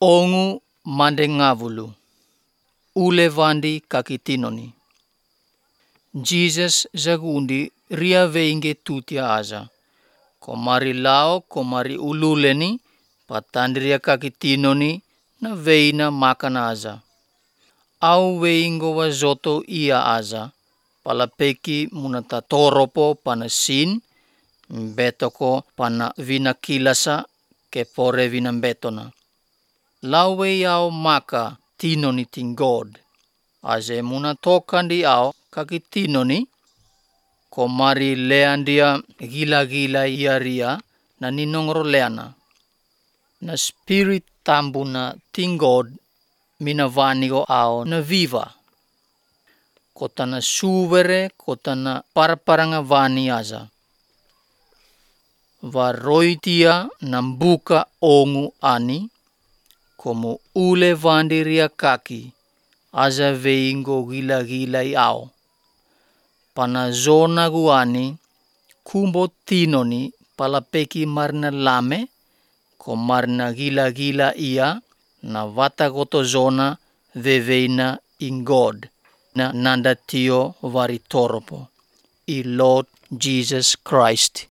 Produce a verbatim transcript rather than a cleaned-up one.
Ongu mande ngavulu, ule vandi kakitinoni. Jesus zagundi ria veinge tutia aza. Komari lao komari ululeni patandria kakitinoni na veina makana aza. Au veingo wazoto ia aza. Palapeki munata toropo pana sin, betoko pana vina kilasa ke pore vina betona. Lauwe yao maka tinoni ting God. Aze muna tokandi ao kakitinoni, komari leandia gila-gila iaria na ninongro leana. Na spirit tambuna ting God mina vanigo ao na viva. Kotana suvere, kotana parparanga vani aza. Varoitia nambuka ongu ani, como ule vandiria kaki, aza veingo gila-gila iao. Pana zona guani, kumbo tinoni palapeki marna lame, ko marna gila-gila ia, na vata goto zona veveina in God, na nanda tio vari toropo, i Lord Jesus Christ.